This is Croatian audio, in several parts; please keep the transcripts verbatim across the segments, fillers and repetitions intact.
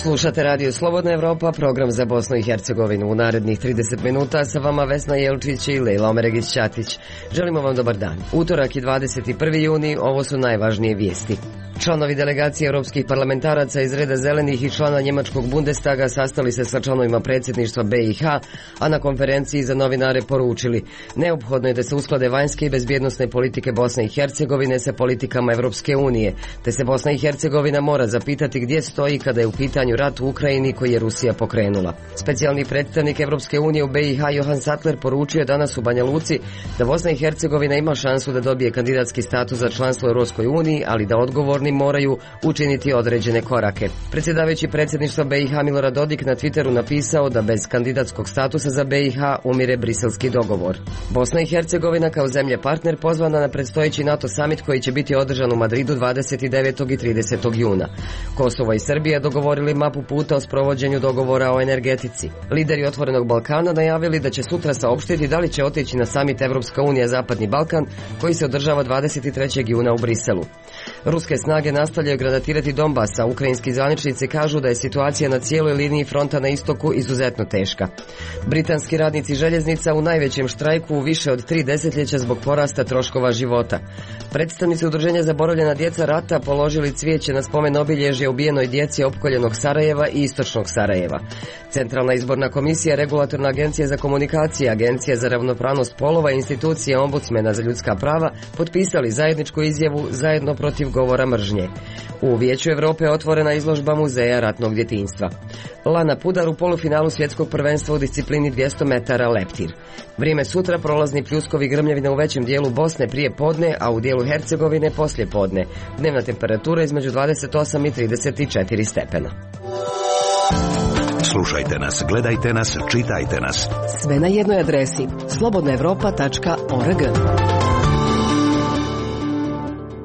Slušate Radio Slobodna Evropa, program za Bosnu i Hercegovinu. U narednih trideset minuta sa vama Vesna Jelčić i Lejla Omeregić-Ćatić. Želimo vam dobar dan. Utorak je dvadeset prvi juni, ovo su najvažnije vijesti. Članovi delegacije europskih parlamentaraca iz reda zelenih i člana njemačkog Bundestaga sastali se sa članovima predsjedništva B i H, a na konferenciji za novinare poručili: neophodno je da se usklade vanjske i bezbjednosne politike Bosne i Hercegovine sa politikama Europske unije, te se Bosna i Hercegovina mora zapitati gdje stoji kada je u pitanju rat u Ukrajini koji je Rusija pokrenula. Specijalni predstavnik Europske unije u B i H Johan Sattler poručio je danas u Banja Luci da Bosna i Hercegovina ima šansu da dobije kandidatski status za članstvo u Europskoj uniji, ali da odgovorni moraju učiniti određene korake. Predsjedavajući predsjedništva B i H Milorad Dodik na Twitteru napisao da bez kandidatskog statusa za B i H umire briselski dogovor. Bosna i Hercegovina kao zemlje partner pozvana na predstojeći NATO summit koji će biti održan u Madridu dvadeset devetog i tridesetog juna. Kosovo i Srbija dogovorili mapu puta o sprovođenju dogovora o energetici. Lideri Otvorenog Balkana najavili da će sutra saopštiti da li će otići na summit Evropska unija Zapadni Balkan koji se održava dvadeset trećeg juna u Briselu. Ruske snage nastavljaju granatirati Donbas, a ukrajinski zvaničnici kažu da je situacija na cijeloj liniji fronta na istoku izuzetno teška. Britanski radnici željeznica u najvećem štrajku u više od tri desetljeća zbog porasta troškova života. Predstavnici Udruženja Zaboravljena djeca rata položili cvijeće na spomen obilježje ubijenoj djeci opkoljenog Sarajeva i istočnog Sarajeva. Centralna izborna komisija, Regulatorna agencija za komunikacije, Agencija za ravnopravnost polova i institucija Ombudsmena za ljudska prava potpisali zajedničku izjavu zajedno protiv govora mržnje. U Vijeću Europe otvorena izložba muzeja ratnog djetinjstva. Lana Pudar u polufinalu svjetskog prvenstva u disciplini dvjesto metara leptir. Vrijeme sutra prolazni pljuskovi grmljavina u većem dijelu Bosne prije podne, a u dijelu Hercegovine poslije podne. Dnevna temperatura između dvadeset osam i trideset četiri stepena. Slušajte nas, gledajte nas, čitajte nas. Sve na jednoj adresi: slobodna evropa tačka org.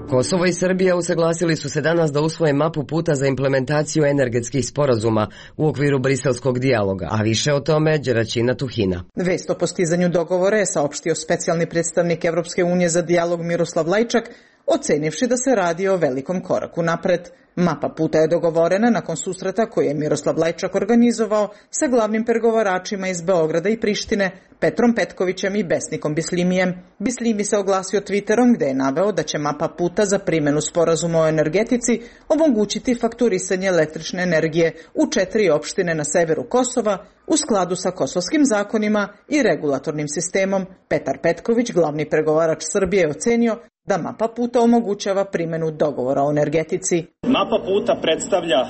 Kosovo i Srbija usaglasili su se danas da usvoje mapu puta za implementaciju energetskih sporazuma u okviru briselskog dijaloga, a više o tome Đeraćina Tuhina. Vest o postizanju dogovora je saopštio specijalni predstavnik Evropske unije za dijalog Miroslav Lajčak, ocenivši da se radi o velikom koraku napred. Mapa puta je dogovorena nakon susreta koje je Miroslav Lajčak organizovao sa glavnim pregovaračima iz Beograda i Prištine, Petrom Petkovićem i Besnikom Bislimijem. Bislimi se oglasio Twitterom gde je naveo da će mapa puta za primjenu sporazuma o energetici omogućiti fakturisanje električne energije u četiri opštine na severu Kosova u skladu sa kosovskim zakonima i regulatornim sistemom. Petar Petković, glavni pregovarač Srbije, je ocenio da mapa puta omogućava primjenu dogovora o energetici. Mapa puta predstavlja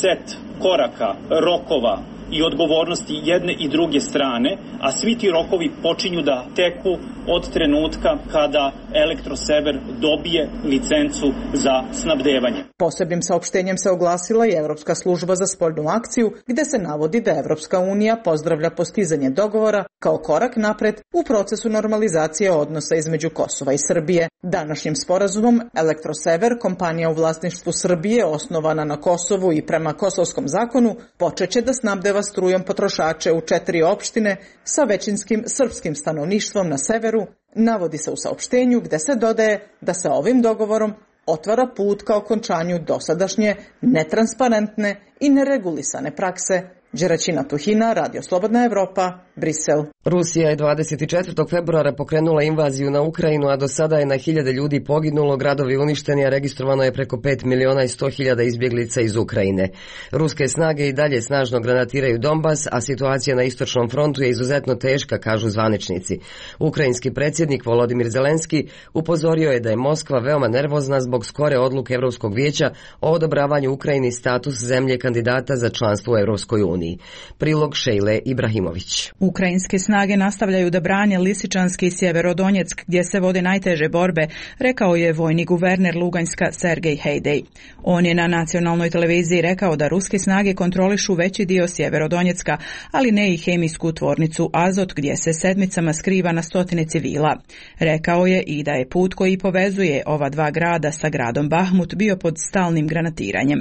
set koraka, rokova i odgovornosti jedne i druge strane, a svi ti rokovi počinju da teku od trenutka kada Elektrosever dobije licencu za snabdevanje. Posebnim saopštenjem se oglasila i Evropska služba za spoljnu akciju, gde se navodi da Evropska unija pozdravlja postizanje dogovora kao korak napred u procesu normalizacije odnosa između Kosova i Srbije. Današnjim sporazumom Elektrosever, kompanija u vlasništvu Srbije osnovana na Kosovu i prema kosovskom zakonu, počeće da snabdeva strujom potrošače u četiri opštine sa većinskim srpskim stanovništvom na severu, navodi se u saopštenju gde se dodaje da se ovim dogovorom otvara put ka okončanju dosadašnje netransparentne i neregulisane prakse. Đeraćina Tuhina, Radio Slobodna Evropa, Brisel. Rusija je dvadeset četvrtog februara pokrenula invaziju na Ukrajinu, a do sada je na hiljade ljudi poginulo, gradovi uništeni, a registrovano je preko pet miliona i sto hiljada izbjeglica iz Ukrajine. Ruske snage i dalje snažno granatiraju Donbas, a situacija na istočnom frontu je izuzetno teška, kažu zvaničnici. Ukrajinski predsjednik Volodimir Zelenski upozorio je da je Moskva veoma nervozna zbog skore odluke Europskog vijeća o odobravanju Ukrajini status zemlje kandidata za članstvo u Europskoj uniji. Prilog Šejle Ibrahimović. Ukrajinske snage nastavljaju da brane Lisičanski i Sjeverodonjeck gdje se vode najteže borbe, rekao je vojni guverner Luganjska Sergej Hejdej. On je na nacionalnoj televiziji rekao da ruske snage kontrolišu veći dio Sjeverodonjecka, ali ne i hemijsku tvornicu Azot gdje se sedmicama skriva na stotine civila. Rekao je i da je put koji povezuje ova dva grada sa gradom Bahmut bio pod stalnim granatiranjem.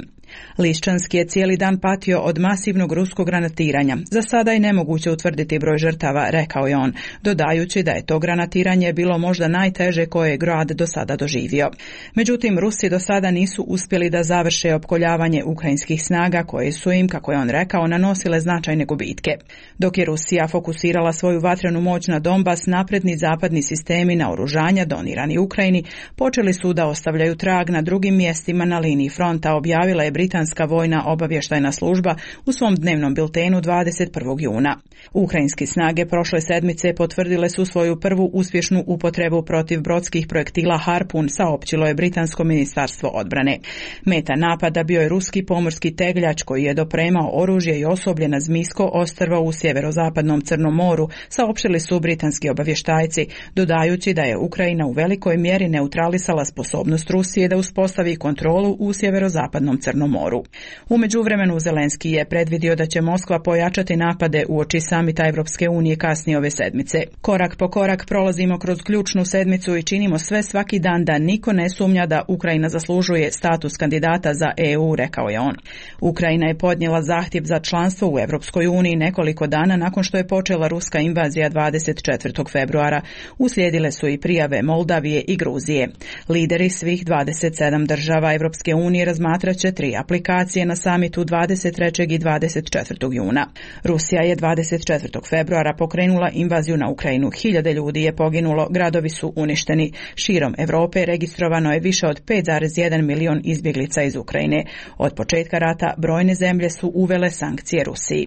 Liščanski je cijeli dan patio od masivnog ruskog granatiranja. Za sada je nemoguće utvrditi broj žrtava, rekao je on, dodajući da je to granatiranje bilo možda najteže koje je grad do sada doživio. Međutim, Rusi do sada nisu uspjeli da završe opkoljavanje ukrajinskih snaga koje su im, kako je on rekao, nanosile značajne gubitke. Dok je Rusija fokusirala svoju vatrenu moć na Donbas, napredni zapadni sistemi naoružanja donirani Ukrajini počeli su da ostavljaju trag na drugim mjestima na liniji fronta, objavila je britanska vojna obavještajna služba u svom dnevnom biltenu dvadeset prvog juna. Ukrajinski snage prošle sedmice potvrdile su svoju prvu uspješnu upotrebu protiv brodskih projektila Harpun, saopćilo je britansko ministarstvo odbrane. Meta napada bio je ruski pomorski tegljač koji je dopremao oružje i osoblje na Zmijsko ostrvo u sjeverozapadnom Crnom moru, saopćili su britanski obavještajci, dodajući da je Ukrajina u velikoj mjeri neutralisala sposobnost Rusije da uspostavi kontrolu u sjeverozapadnom Crnom moru. U međuvremenu Zelenski je predvidio da će Moskva pojačati napade uoči samita Evropske unije kasnije ove sedmice. Korak po korak prolazimo kroz ključnu sedmicu i činimo sve svaki dan da niko ne sumnja da Ukrajina zaslužuje status kandidata za E U, rekao je on. Ukrajina je podnijela zahtjev za članstvo u Evropskoj uniji nekoliko dana nakon što je počela ruska invazija dvadeset četvrtog februara. Uslijedile su i prijave Moldavije i Gruzije. Lideri svih dvadeset sedam država Evropske unije razmatraće tri aplikacije na samitu dvadeset trećeg i dvadeset četvrtog juna. Rusija je dvadeset četvrtog februara pokrenula invaziju na Ukrajinu. Hiljade ljudi je poginulo, gradovi su uništeni. Širom Europe registrovano je više od pet zarez jedan milion izbjeglica iz Ukrajine. Od početka rata brojne zemlje su uvele sankcije Rusiji.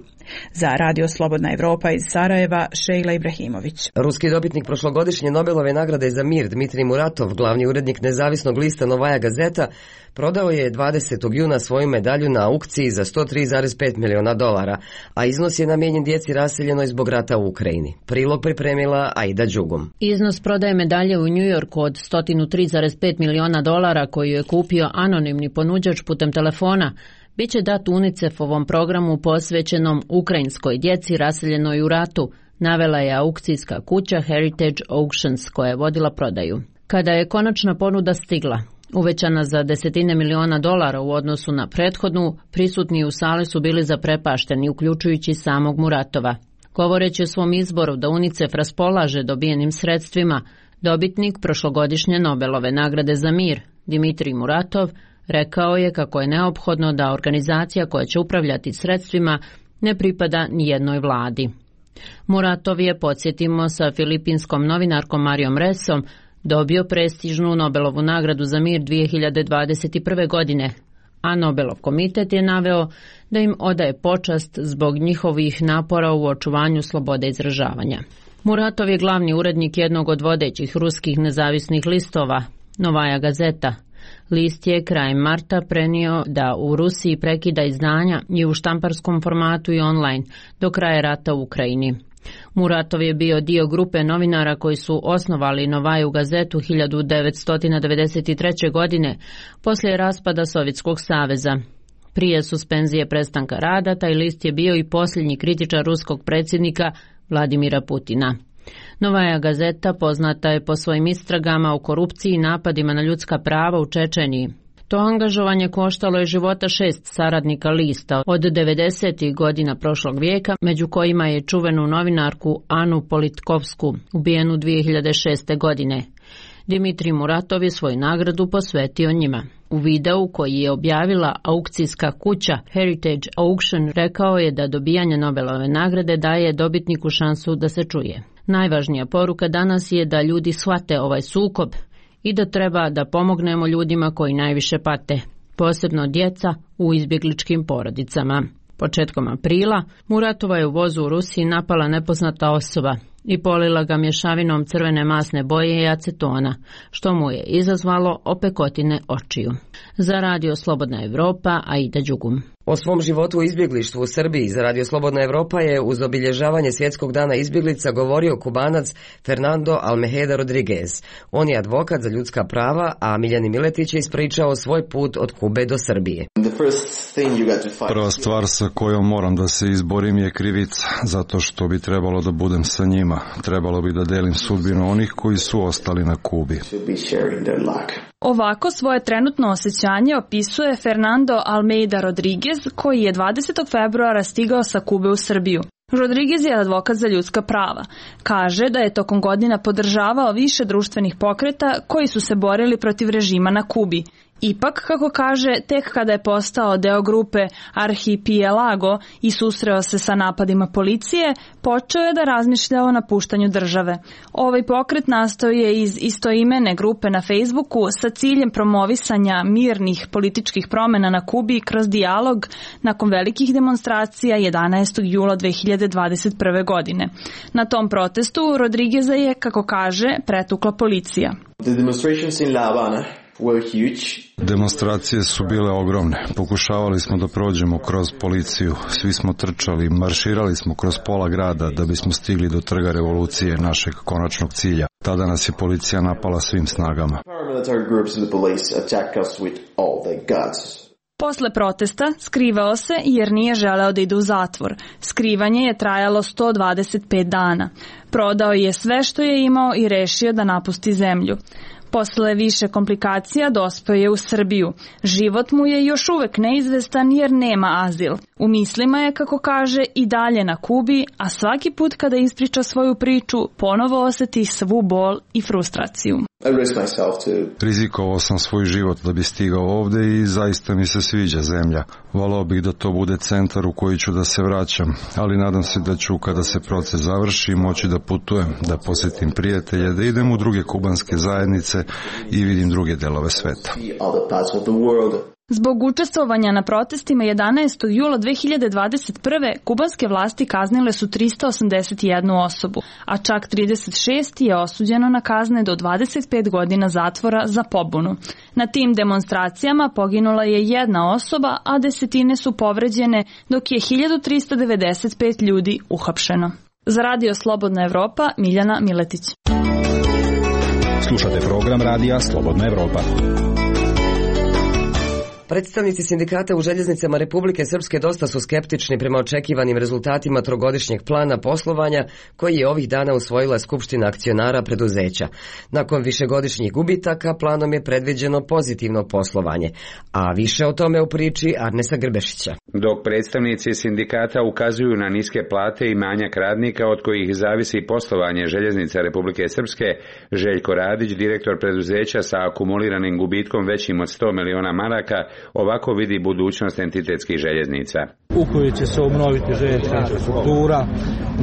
Za Radio Slobodna Evropa iz Sarajeva, Šejla Ibrahimović. Ruski dobitnik prošlogodišnje Nobelove nagrade za mir Dmitrij Muratov, glavni urednik nezavisnog lista Novaja Gazeta, prodao je dvadesetog juna svoju medalju na aukciji za sto tri zarez pet miliona dolara, a iznos je namijenjen djeci raseljenoj zbog rata u Ukrajini. Prilog pripremila Aida Đugum. Iznos prodaje medalje u Njujorku od sto tri zarez pet miliona dolara koju je kupio anonimni ponuđač putem telefona biće dat UNICEF-ovom programu posvećenom ukrajinskoj djeci raseljenoj u ratu, navela je aukcijska kuća Heritage Auctions koja je vodila prodaju. Kada je konačna ponuda stigla, uvećana za desetine miliona dolara u odnosu na prethodnu, prisutni u sali su bili zaprepašteni, uključujući samog Muratova. Govoreći o svom izboru da UNICEF raspolaže dobijenim sredstvima, dobitnik prošlogodišnje Nobelove nagrade za mir, Dmitrij Muratov, rekao je kako je neophodno da organizacija koja će upravljati sredstvima ne pripada ni jednoj vladi. Muratov je, podsjetimo, sa filipinskom novinarkom Marijom Resom dobio prestižnu Nobelovu nagradu za mir dvije hiljade dvadeset prve. godine, a Nobelov komitet je naveo da im odaje počast zbog njihovih napora u očuvanju slobode izražavanja. Muratov je glavni urednik jednog od vodećih ruskih nezavisnih listova, Novaja Gazeta. List je krajem marta prenio da u Rusiji prekida izdanja i u štamparskom formatu i online do kraja rata u Ukrajini. Muratov je bio dio grupe novinara koji su osnovali Novaju Gazetu hiljadu devetsto devedeset treće. godine poslije raspada Sovjetskog saveza. Prije suspenzije prestanka rada, taj list je bio i posljednji kritičar ruskog predsjednika Vladimira Putina. Novaja Gazeta poznata je po svojim istragama o korupciji i napadima na ljudska prava u Čečeniji. To angažovanje koštalo je života šest saradnika lista od devedesetih godina prošlog vijeka, među kojima je čuvenu novinarku Anu Politkovsku, ubijenu dvije hiljade šeste. godine. Dmitrij Muratov je svoju nagradu posvetio njima. U videu koji je objavila aukcijska kuća Heritage Auction rekao je da dobijanje Nobelove nagrade daje dobitniku šansu da se čuje. Najvažnija poruka danas je da ljudi shvate ovaj sukob i da treba da pomognemo ljudima koji najviše pate, posebno djeca u izbjegličkim porodicama. Početkom aprila Muratova je u vozu u Rusiji napala nepoznata osoba i polila ga mješavinom crvene masne boje i acetona, što mu je izazvalo opekotine očiju. Za Radio Slobodna Evropa, Aida Đugum. O svom životu u izbjeglištvu u Srbiji za Radio Slobodna Evropa je uz obilježavanje Svjetskog dana izbjeglica govorio Kubanac Fernando Almeheda Rodriguez. On je advokat za ljudska prava, a Miljani Miletić je ispričao svoj put od Kube do Srbije. Prva stvar sa kojom moram da se izborim je krivica, zato što bi trebalo da budem sa njima. Trebalo bi da delim sudbinu onih koji su ostali na Kubi. Ovako svoje trenutno osjećanje opisuje Fernando Almeida Rodriguez, koji je dvadesetog februara stigao sa Kube u Srbiju. Rodriguez je advokat za ljudska prava. Kaže da je tokom godina podržavao više društvenih pokreta koji su se borili protiv režima na Kubi. Ipak, kako kaže, tek kada je postao deo grupe Arhipelago i susreo se sa napadima policije, počeo je da razmišlja o napuštanju države. Ovaj pokret nastao je iz istoimene grupe na Facebooku sa ciljem promovisanja mirnih političkih promjena na Kubi kroz dijalog nakon velikih demonstracija jedanaestog jula dve hiljade dvadeset prve. godine. Na tom protestu Rodrigueza je, kako kaže, pretukla policija. The demonstrations in La Habana were huge. Demonstracije su bile ogromne. Pokušavali smo da prođemo kroz policiju. Svi smo trčali, marširali smo kroz pola grada da bismo stigli do trga revolucije, našeg konačnog cilja. Tada nas je policija napala svim snagama. Paramilitary groups of the police attacked us with all their guns. Posle protesta skrivao se jer nije želeo da ide u zatvor. Skrivanje je trajalo sto dvadeset pet dana. Prodao je sve što je imao i rešio da napusti zemlju. Posle više komplikacija dospeo je u Srbiju. Život mu je još uvek neizvestan jer nema azil. U mislima je, kako kaže, i dalje na Kubi, a svaki put kada ispriča svoju priču, ponovo oseti svu bol i frustraciju. Rizikovao sam svoj život da bi stigao ovde i zaista mi se sviđa zemlja. Volao bih da to bude centar u koji ću da se vraćam, ali nadam se da ću, kada se proces završi, moći da putujem, da posjetim prijatelje, da idem u druge kubanske zajednice i vidim druge delove sveta. Zbog učestvovanja na protestima jedanaestog jula dve hiljade dvadeset prve. kubanske vlasti kaznile su trista osamdeset jednu osobu, a čak trideset šest je osuđeno na kazne do dvadeset pet godina zatvora za pobunu. Na tim demonstracijama poginula je jedna osoba, a desetine su povređene, dok je hiljadu trista devedeset pet ljudi uhapšeno. Za Radio Slobodna Evropa, Miljana Miletić. Slušate program Radija Slobodna Evropa. Predstavnici sindikata u željeznicama Republike Srpske dosta su skeptični prema očekivanim rezultatima trogodišnjeg plana poslovanja koji je ovih dana usvojila Skupština akcionara preduzeća. Nakon višegodišnjih gubitaka planom je predviđeno pozitivno poslovanje, a više o tome u priči Arnesa Grbešića. Dok predstavnici sindikata ukazuju na niske plate i manjak radnika od kojih zavisi poslovanje željeznica Republike Srpske, Željko Radić, direktor preduzeća sa akumuliranim gubitkom većim od sto miliona maraka, ovako vidi budućnost entitetskih željeznica. U kojoj će se obnoviti željeznička infrastruktura,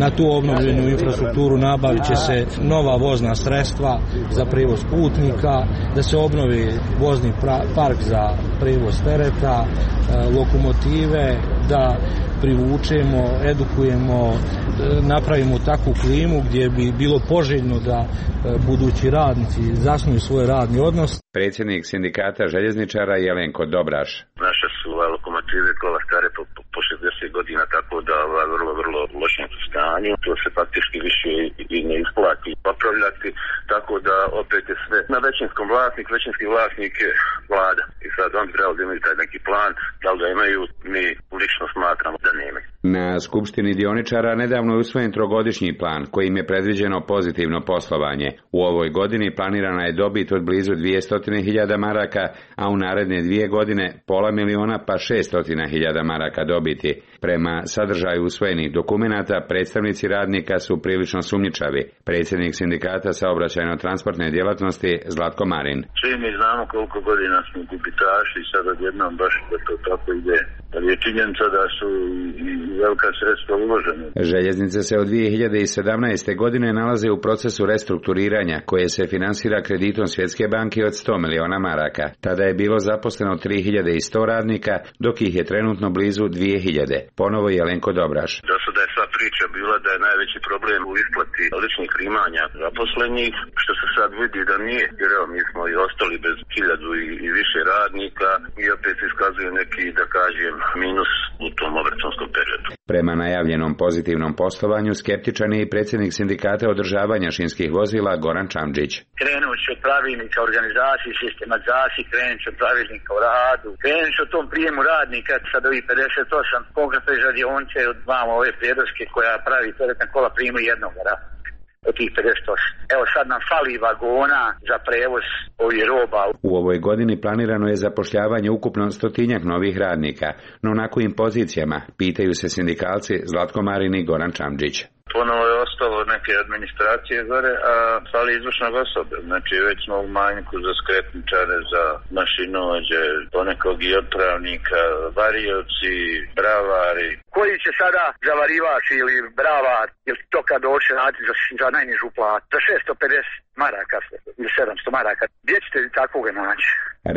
na tu obnovljenu infrastrukturu nabavit će se nova vozna sredstva za prevoz putnika, da se obnovi vozni park za prevoz tereta, lokomotive, da privučemo, edukujemo, napravimo takvu klimu gdje bi bilo poželjno da budući radnici zasnuju svoj radni odnos. Predsjednik sindikata željezničara Jelenko Dobraš. Naše su lokomotive kola stare po, po šezdeset godina, tako da ova vrlo, vrlo lošem stanju. To se faktički više i ne isplati popravljati, tako da opet je sve na većinskom vlasnik, većinski vlasnik je vlada. I sad on treba da imaju taj neki plan, da li ga imaju, mi lično smatramo da nemaju. Na Skupštini dioničara nedavno je usvojen trogodišnji plan kojim je predviđeno pozitivno poslovanje. U ovoj godini planirana je dobit od blizu dvjesto hiljada maraka, a u naredne dvije godine pola miliona pa šest stotina hiljada maraka dobiti. Prema sadržaju usvojenih dokumenata, predstavnici radnika su prilično sumnjičavi. Predsjednik sindikata saobraćajno-transportne djelatnosti Zlatko Marin. Svi mi znamo koliko godina smo gubitaši i sad odjednom baš da to tako ide. Ali je činjenica da su i velika sredstva uložena. Željeznice se od dvije hiljade sedamnaeste. godine nalaze u procesu restrukturiranja koje se finansira kreditom Svjetske banke od sto miliona maraka. Tada je bilo zaposleno tri hiljade sto radnika, dok ih je trenutno blizu dvije hiljade. Ponovo Jelenko Dobraš. Do sada je sva priča bila da je najveći problem u isplati ličnih primanja zaposlenih, što se sad vidi da nije, jer evo mi smo i ostali bez hiljadu i, i više radnika i opet se iskazuje neki, da kažem, minus u tom obračunskom periodu. Prema najavljenom pozitivnom poslovanju skeptičan je i predsjednik sindikata održavanja šinskih vozila Goran Čamdžić. Krenut će od pravilnika organizaciji, sistematizaciji, krenut će od pravilnika o radu, krenut će o tom prijemu radnika, sad ovih pedeset osam konkretno iz radionice od vama ove prijedloške koja pravi teretna kola primu jednog radnika. od tih pedeset osam. Evo sad nam fali vagona za prevoz ovih roba. U ovoj godini planirano je zapošljavanje ukupno stotinjak novih radnika, no na kojim pozicijama, pitaju se sindikalci Zlatko Marin i Goran Čamđić. Ponovo je ostalo neke administracije gore, a fali izvršnog osobe. Znači već smo u manjku za skretničare, za mašinovođe, ponekog i otpravnika, varioci, bravari. Koji će sada zavarivač ili bravar, ili to kad doće naći za, za najnižu platu, za šesto pedeset maraka ili sedamsto maraka. Gdje ćete takvoga naći?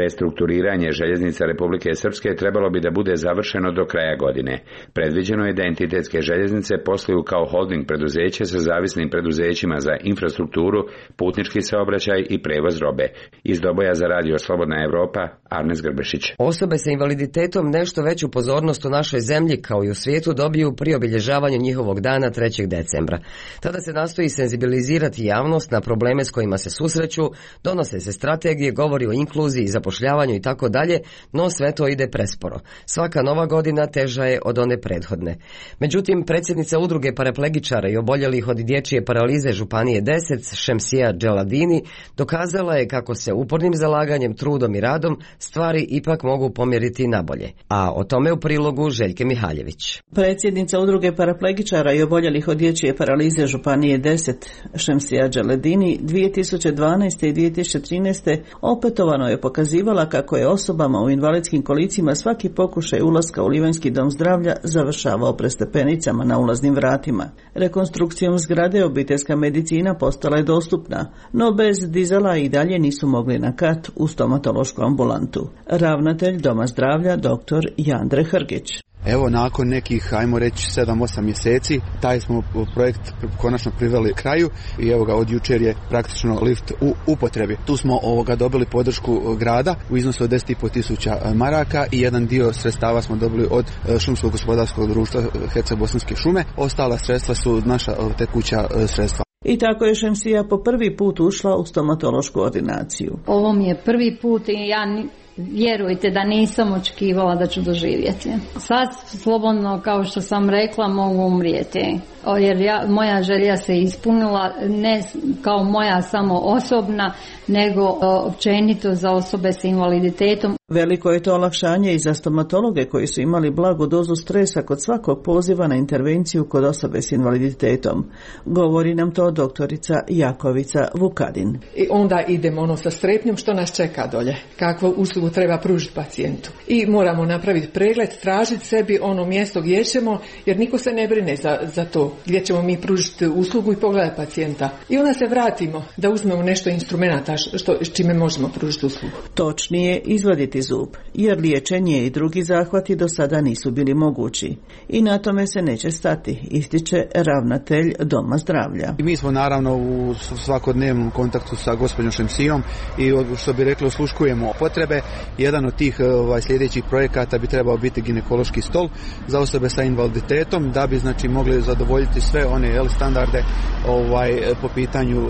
Restrukturiranje željeznica Republike Srpske trebalo bi da bude završeno do kraja godine. Predviđeno je da entitetske željeznice posluju kao holding preduzeće sa zavisnim preduzećima za infrastrukturu, putnički saobraćaj i prevoz robe. Iz Doboja za radio Slobodna Evropa, Arnes Grbešić. Osobe sa invaliditetom nešto veću pozornost u našoj zemlji kao i u svijetu dobiju pri obilježavanju njihovog dana trećeg decembra. Tada se nastoji senzibilizirati javnost na probleme s kojima se susreću, donose se strategije, govori o inkluziji, zapošljavanju i tako dalje, no sve to ide presporo. Svaka nova godina teža je od one prethodne. Međutim, predsjednica udruge paraplegičara i oboljelih od dječje paralize Županije deset, Šemsija Dželadini, dokazala je kako se upornim zalaganjem, trudom i radom stvari ipak mogu pomjeriti nabolje. A o tome u prilogu Željke Mihaljević. Predsjednica udruge paraplegičara i oboljelih od dječje paralize Županije deset, Šemsija Dželadini, dvije tisuće dvanaeste i dvije tisuće trinaeste opetovano je pokazivala kako je osobama u invalidskim kolicima svaki pokušaj ulaska u Livanjski dom zdravlja završavao prestepenicama na ulaznim vratima. Rekonstrukcijom zgrade obiteljska medicina postala je dostupna, no bez dizala i dalje nisu mogli na kat u stomatološku ambulantu. Ravnatelj Doma zdravlja dr. Jandre Hrgić. Evo, nakon nekih, ajmo reći, sedam osam mjeseci, taj smo projekt konačno priveli kraju i evo ga, od jučer je praktično lift u upotrebi. Tu smo ovoga dobili podršku grada u iznosu od deset i pol tisuća maraka i jedan dio sredstava smo dobili od šumskog gospodarskog društva Herceg-Bosanske šume. Ostala sredstva su naša tekuća sredstva. I tako je Šemsija po prvi put ušla u stomatološku ordinaciju. Ovo mi je prvi put i ja ni... Vjerujte da nisam očekivala da ću doživjeti. Sad slobodno, kao što sam rekla, mogu umrijeti. Jer ja, moja želja se ispunila, ne kao moja samo osobna, nego općenito za osobe s invaliditetom. Veliko je to olakšanje i za stomatologe koji su imali blagu dozu stresa kod svakog poziva na intervenciju kod osobe s invaliditetom. Govori nam to doktorica Jakovica Vukadin. I onda idemo ono sa strepnjom što nas čeka dolje, kakvu uslugu treba pružiti pacijentu. I moramo napraviti pregled, tražiti sebi ono mjesto gdje ćemo, jer niko se ne brine za, za to gdje ćemo mi pružiti uslugu i pogledati pacijenta. I onda se vratimo da uzmemo nešto instrumenta što, čime možemo pružiti uslugu. Točnije, izvaditi zub, jer liječenje i drugi zahvati do sada nisu bili mogući. I na tome se neće stati, ističe ravnatelj Doma zdravlja. I mi smo naravno u svakodnevnom kontaktu sa gospođom Šemsijom i što bi rekli osluškujemo potrebe. Jedan od tih ovaj, sljedećih projekata bi trebao biti ginekološki stol za osobe sa invaliditetom, da bi znači mogli zadovoljiti sve one jel, standarde ovaj, po pitanju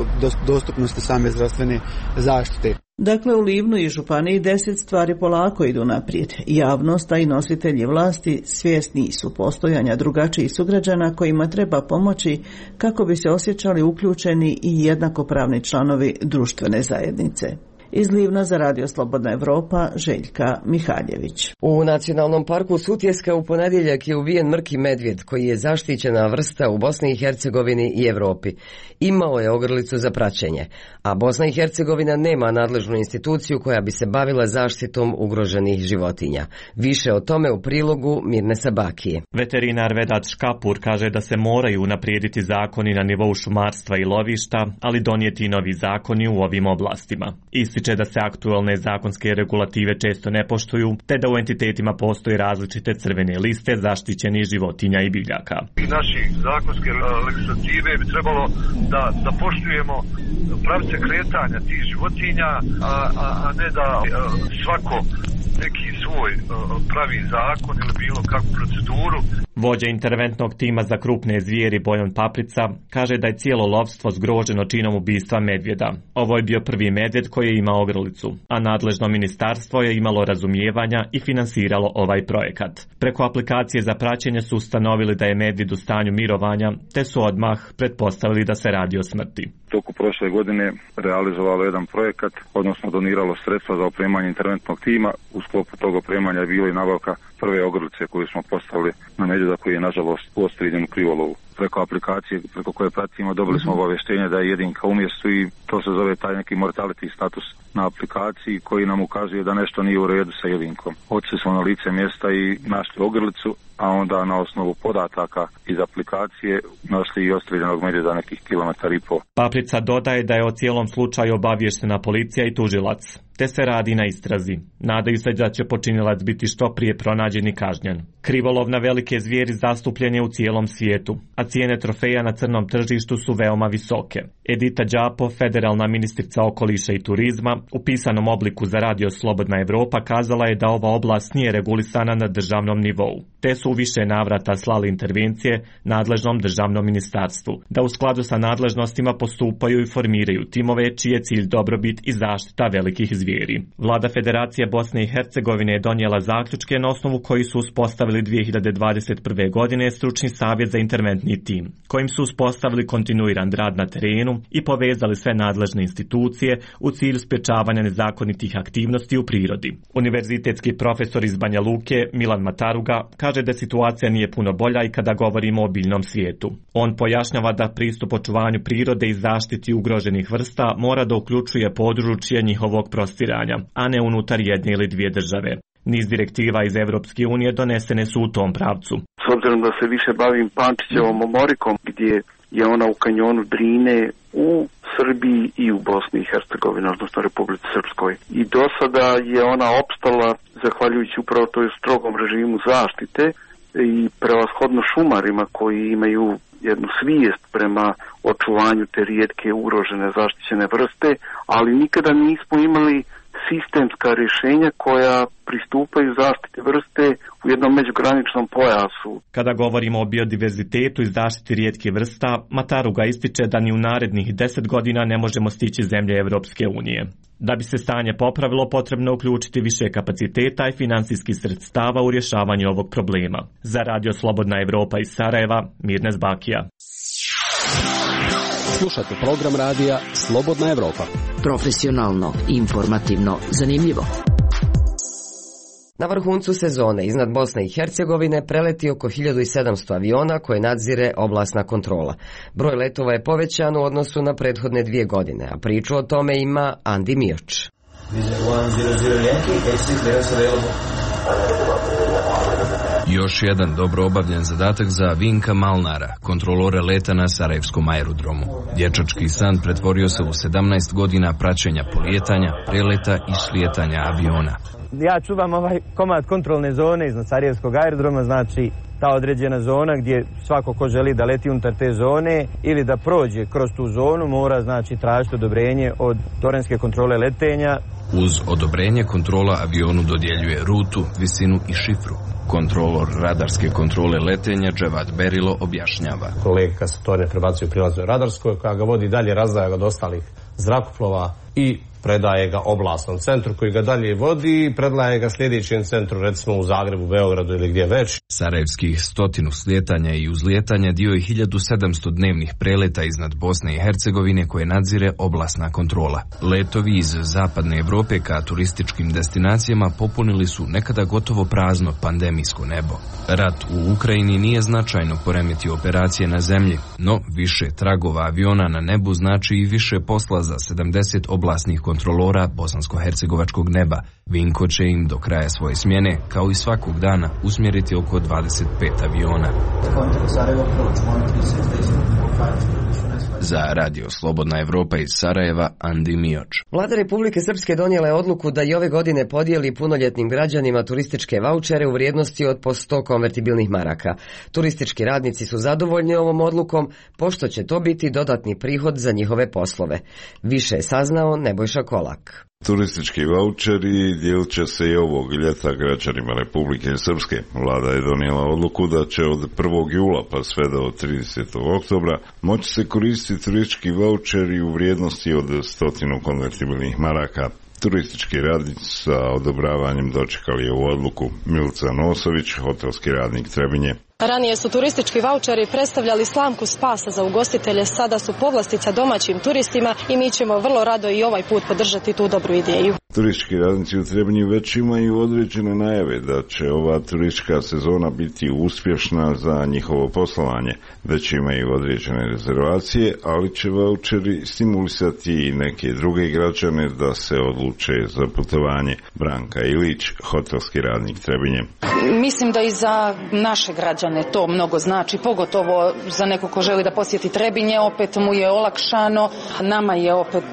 dostupnosti same zdravstvene zaštite. Dakle, u Livnu i Županiji deset stvari polako idu naprijed. Javnost, a i nositelji vlasti svjesni su postojanja drugačijih sugrađana kojima treba pomoći kako bi se osjećali uključeni i jednakopravni članovi društvene zajednice. Iz Livna za radio Slobodna Evropa, Željka Mihaljević. U Nacionalnom parku Sutjeska u ponedjeljak je uvijen mrki medvjed koji je zaštićena vrsta u Bosni i Hercegovini i Europi. Imao je ogrlicu za praćenje, a Bosna i Hercegovina nema nadležnu instituciju koja bi se bavila zaštitom ugroženih životinja. Više o tome u prilogu Mirne Sabakije. Veterinar Vedat Škapur kaže da se moraju unaprijediti zakoni na nivou šumarstva i lovišta, ali donijeti novi zakoni u ovim oblastima. Isti da se aktualne zakonske regulative često ne poštuju, te da u entitetima postoje različite crvene liste zaštićenih životinja i biljaka. I naši zakonske legislative bi trebalo da, da poštujemo pravce kretanja tih životinja, a, a, a ne da a, svako neki svoj pravi zakon ili bilo kakvu proceduru. Vođa interventnog tima za krupne zvijeri Bojan Paprica kaže da je cijelo lovstvo zgroženo činom ubistva medvjeda. Ovo je bio prvi medvjed koji je imao ogrlicu, a nadležno ministarstvo je imalo razumijevanja i finansiralo ovaj projekat. Preko aplikacije za praćenje su ustanovili da je medvjed u stanju mirovanja, te su odmah pretpostavili da se radi o smrti. Toku prošle godine realizovalo jedan projekat, odnosno doniralo sredstva za opremanje interventnog tima. U sklopu tog opremanja je bila i nabavka prve ogrlice koju smo postavili na medvjeda koji je nažalost ostrijeljen u krivolovu. Preko aplikacije preko koje pratimo dobili smo obavještenje da je jedinka u mjestu i to se zove taj neki mortality status na aplikaciji koji nam ukazuje da nešto nije u redu sa jedinkom. Otišli smo na lice mjesta i našli ogrlicu, a onda na osnovu podataka iz aplikacije našli i ostrijeljenog medvjeda nekih kilometar i pol. Paprica dodaje da je o cijelom slučaju obavještena policija i tužilac, te se radi na istrazi. Nadaju se da će počinilac biti što prije pronađen i kažnjen. Krivolov na velike zvijeri zastupljen je u cijelom svijetu, a cijene trofeja na crnom tržištu su veoma visoke. Edita Đapo, federalna ministrica okoliša i turizma, u pisanom obliku za radio Slobodna Evropa kazala je da ova oblast nije regulisana na državnom nivou, te su u više navrata slali intervencije nadležnom državnom ministarstvu, da u skladu sa nadležnostima postupaju i formiraju timove čiji je cilj dobrobit i zaštita velikih zvijeri. Vlada Federacije Bosne i Hercegovine je donijela zaključke na osnovu koji su uspostavili dvije hiljade dvadeset prve. godine stručni savjet za interventni tim, kojim su uspostavili kontinuiran rad na terenu i povezali sve nadležne institucije u cilju sprječavanja nezakonitih aktivnosti u prirodi. Univerzitetski profesor iz Banja Luke Milan Mataruga kaže da situacija nije puno bolja i kada govorimo o biljnom svijetu. On pojašnjava da pristup očuvanju prirode i zaštiti ugroženih vrsta mora da uključuje područje njihovog prostiranja, a ne unutar jedne ili dvije države. Niz direktiva iz Evropske unije donesene su u tom pravcu. S obzirom da se više bavim Pančićevom omorikom, gdje je ona u kanjonu Drine u Srbiji i u Bosni i Hercegovini, odnosno Republici Srpskoj. I do sada je ona opstala zahvaljujući upravo toj strogom režimu zaštite i prevashodno šumarima koji imaju jednu svijest prema očuvanju te rijetke ugrožene zaštićene vrste, ali nikada nismo imali sistemska rješenja koja pristupaju zaštiti vrste u jednom međugraničnom pojasu. Kada govorimo o biodiverzitetu i zaštiti rijetke vrsta, Mataruga ističe da ni u narednih deset godina ne možemo stići zemlje Evropske unije. Da bi se stanje popravilo, potrebno je uključiti više kapaciteta i finansijskih sredstava u rješavanju ovog problema. Za Radio Slobodna Evropa iz Sarajeva, Mirnes Bakija. Slušajte program radija Slobodna Evropa. Profesionalno, informativno, zanimljivo. Na vrhuncu sezone iznad Bosne i Hercegovine preleti oko hiljadu sedamsto aviona koje nadzire oblastna kontrola. Broj letova je povećan u odnosu na prethodne dvije godine, a priču o tome ima Andi Mioč. Još jedan dobro obavljen zadatak za Vinka Malnara, kontrolora leta na Sarajevskom aerodromu. Dječački san pretvorio se u sedamnaest godina praćenja polijetanja, preleta i slijetanja aviona. Ja čuvam ovaj komad kontrolne zone iznad Sarajevskog aerodroma, znači ta određena zona gdje svako ko želi da leti unutar te zone ili da prođe kroz tu zonu mora znači tražiti odobrenje od terenske kontrole letenja. Uz odobrenje kontrola avionu dodjeljuje rutu, visinu i šifru. Kontrolor radarske kontrole letenja Dževad Berilo objašnjava. Kolega kad se tornje prebacuju prilaznoj radarskoj, koja ga vodi dalje, razdaja ga od ostalih zrakoplova i predaje ga oblastnom centru koji ga dalje vodi i predaje ga sljedećem centru, recimo u Zagrebu, Beogradu ili gdje već. Sarajevskih stotinu slijetanja i uzlijetanja dio je hiljadu sedamsto dnevnih preleta iznad Bosne i Hercegovine koje nadzire oblastna kontrola. Letovi iz zapadne Evrope ka turističkim destinacijama popunili su nekada gotovo prazno pandemijsko nebo. Rat u Ukrajini nije značajno poremetio operacije na zemlji, no više tragova aviona na nebu znači i više posla za sedamdeset oblastnih kontrolora bosansko-hercegovačkog neba. Vinko će im do kraja svoje smjene, kao i svakog dana, usmjeriti oko dvadeset pet aviona. Za Radio Slobodna Evropa iz Sarajeva, Andi Mioč. Vlada Republike Srpske donijela je odluku da i ove godine podijeli punoljetnim građanima turističke vaučere u vrijednosti od po sto konvertibilnih maraka. Turistički radnici su zadovoljni ovom odlukom, pošto će to biti dodatni prihod za njihove poslove. Više je saznao Nebojša Kolak. Turistički vaučeri dijelit će se i ovog ljeta građanima Republike Srpske. Vlada je donijela odluku da će od prvog jula pa sve do tridesetog oktobra moći se koristiti turistički vaučeri u vrijednosti od stotinu konvertibilnih maraka. Turistički radnici sa odobravanjem dočekali ovu odluku. Milica Nosović, hotelski radnik Trebinje. Ranije su turistički vaučeri predstavljali slamku spasa za ugostitelje, sada su povlastica domaćim turistima i mi ćemo vrlo rado i ovaj put podržati tu dobru ideju. Turistički radnici u Trebinju već imaju određene najave da će ova turistička sezona biti uspješna za njihovo poslovanje. Već imaju određene rezervacije, ali će vaučeri stimulisati i neke druge građane da se odluče za putovanje. Branka Ilić, hotelski radnik Trebinje. Mislim da i za naše građane to mnogo znači, pogotovo za neko ko želi da posjeti Trebinje, opet mu je olakšano, nama je opet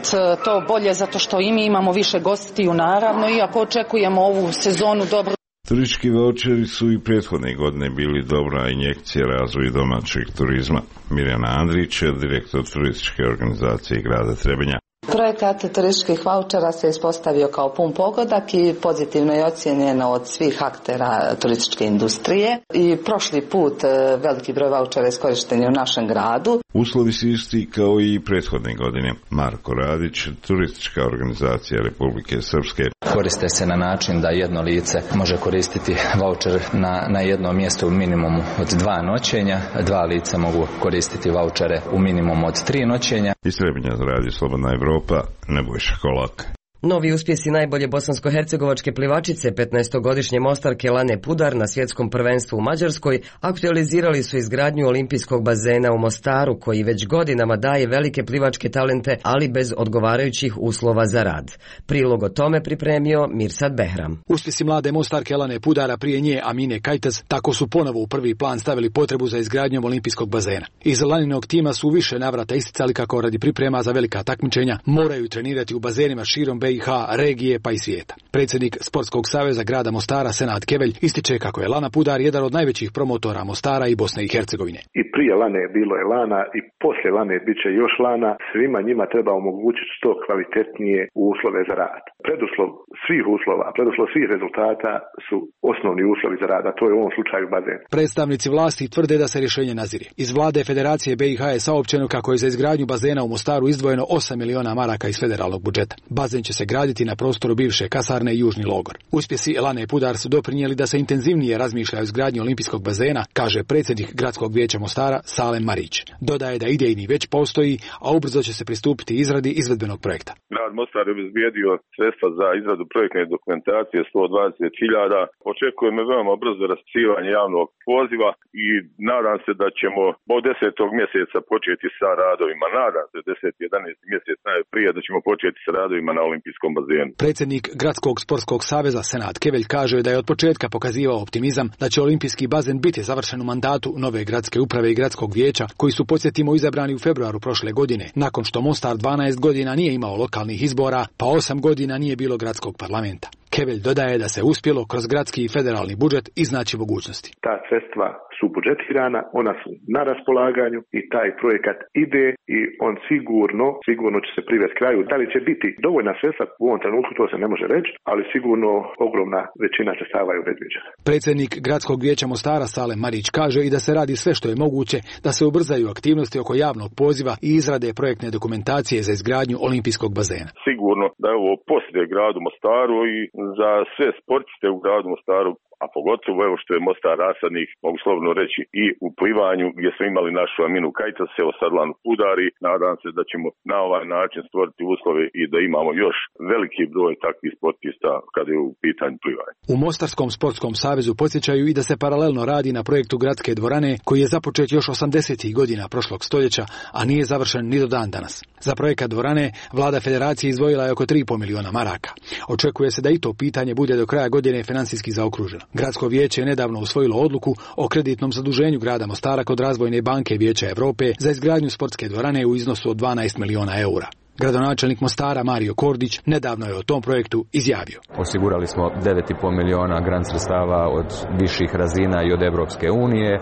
to bolje zato što i mi imamo više gostiju naravno, iako očekujemo ovu sezonu dobro. Turistički vaučeri su i prethodne godine bili dobra injekcija razvoju domaćeg turizma. Mirjana Andrić je direktor turističke organizacije grada Trebinja. Projekat turističkih vaučera se ispostavio kao pun pogodak i pozitivno je ocijenjeno od svih aktera turističke industrije. I prošli put veliki broj vaučera je iskorišten u našem gradu. Uslovi su isti kao i prethodne godine. Marko Radić, turistička organizacija Republike Srpske. Koriste se na način da jedno lice može koristiti vaučer na, na jednom mjestu u minimumu od dva noćenja, dva lica mogu koristiti vaučere u minimumu od tri noćenja. Iz Trebinja radi Slobodna Evropa, Nebojša Kolak. Novi uspjesi najbolje bosansko-hercegovačke plivačice petnaestogodišnje Mostarke Lane Pudar na svjetskom prvenstvu u Mađarskoj aktualizirali su izgradnju olimpijskog bazena u Mostaru koji već godinama daje velike plivačke talente, ali bez odgovarajućih uslova za rad. Prilog o tome pripremio Mirsad Behram. Uspjesi mlade Mostarke Lane Pudara, prije nje Amine Kajtaz, tako su ponovo u prvi plan stavili potrebu za izgradnjom olimpijskog bazena. Iz Laninog tima su više navrata isticali kako radi priprema za velika takmičenja moraju trenirati u bazenima širom B i H, regije pa i svijeta. Predsjednik Sportskog saveza grada Mostara Senad Kevelj ističe kako je Lana Pudar jedan od najvećih promotora Mostara i Bosne i Hercegovine. I prije Lane bilo je Lana i poslije Lane bit će još Lana. Svima njima treba omogućiti što kvalitetnije uslove za rad. Preduslov svih uslova, preduslov svih rezultata su osnovni uslovi za rad, a to je u ovom slučaju bazen. Predstavnici vlasti tvrde da se rješenje nazire. Iz vlade Federacije B i H je saopćeno kako je za izgradnju bazena u Mostaru izdvojeno osam miliona maraka iz federalnog budžeta. Bazen će se graditi na prostoru bivše kasarne i južni logor. Uspjesi Lane Pudar su doprinijeli da se intenzivnije razmišlja o izgradnji olimpijskog bazena, kaže predsjednik gradskog vijeća Mostara Salem Marić. Dodaje da idejni već postoji, a ubrzo će se pristupiti izradi izvedbenog projekta. Grad Mostar je obezbijedio sredstva za izradu projektne dokumentacije sto dvadeset hiljada. Očekujemo veoma brzo raspisivanje javnog poziva i nadam se da ćemo od desetog mjeseca početi sa radovima. Nadam se deseti jedanaesti mjesec najprije da ćemo početi sa radovima na olimpijskom bazenu. Predsjednik Gradskog sportskog saveza Senad Kevelj kaže da je od početka pokazivao optimizam da će olimpijski bazen biti završen u mandatu nove gradske uprave i gradskog vijeća koji su, podsjetimo, izabrani u februaru prošle godine, nakon što Mostar dvanaest godina nije imao lokalnih izbora, pa osam godina nije bilo gradskog parlamenta. Kevelj dodaje da se uspjelo kroz gradski i federalni budžet iznaći mogućnosti. Ta sredstva su budžetirana, ona su na raspolaganju i taj projekat ide i on sigurno, sigurno će se privesti kraju. Da li će biti dovoljna sredstva u ovom trenutku, to se ne može reći, ali sigurno ogromna većina sredstava je predviđena. Predsjednik gradskog vijeća Mostara Salem Marić kaže i da se radi sve što je moguće da se ubrzaju aktivnosti oko javnog poziva i izrade projektne dokumentacije za izgradnju olimpijskog bazena. Sigurno da je ovo poslije gradu Mostaru i za sve sportiste u gradu Mostaru, a pogotovo evo što je Mostar rasadnik, mogu slobodno reći i u plivanju gdje smo imali našu Aminu Kajtas, evo sad Lanu Pudar i nadam se da ćemo na ovaj način stvoriti uslove i da imamo još veliki broj takvih sportista kada je u pitanju plivanja. U Mostarskom sportskom savezu podsjećaju i da se paralelno radi na projektu gradske dvorane koji je započet još osamdesetih godina prošlog stoljeća, a nije završen ni do dan danas. Za projekat dvorane vlada federacije izdvojila je oko tri i pol miliona maraka. Očekuje se da i to pitanje bude do kraja godine financijski zaokruženo. Gradsko vijeće je nedavno usvojilo odluku o kreditnom zaduženju grada Mostara kod Razvojne banke Vijeća Europe za izgradnju sportske dvorane u iznosu od dvanaest miliona eura. Gradonačelnik Mostara Mario Kordić nedavno je o tom projektu izjavio. Osigurali smo devet i pol miliona grant sredstava od viših razina i od Europske unije.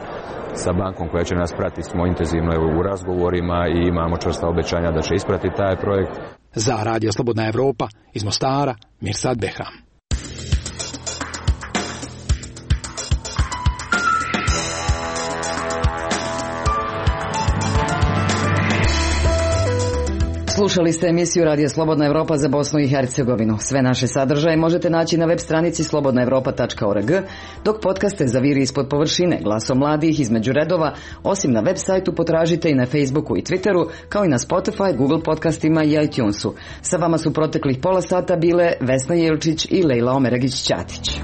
Sa bankom koja će nas pratiti smo intenzivno u razgovorima i imamo čvrsta obećanja da će ispratiti taj projekt. Za Radio Slobodna Evropa iz Mostara, Mirsad Behram. Slušali ste emisiju Radija Slobodna Evropa za Bosnu i Hercegovinu. Sve naše sadržaje možete naći na web stranici slobodna evropa tačka org, dok podcaste za Viri ispod površine, Glasom mladih, Između redova, osim na web sajtu potražite i na Facebooku i Twitteru, kao i na Spotify, Google podcastima i iTunesu. Sa vama su proteklih pola sata bile Vesna Jelčić i Lejla Omeragić-Ćatić.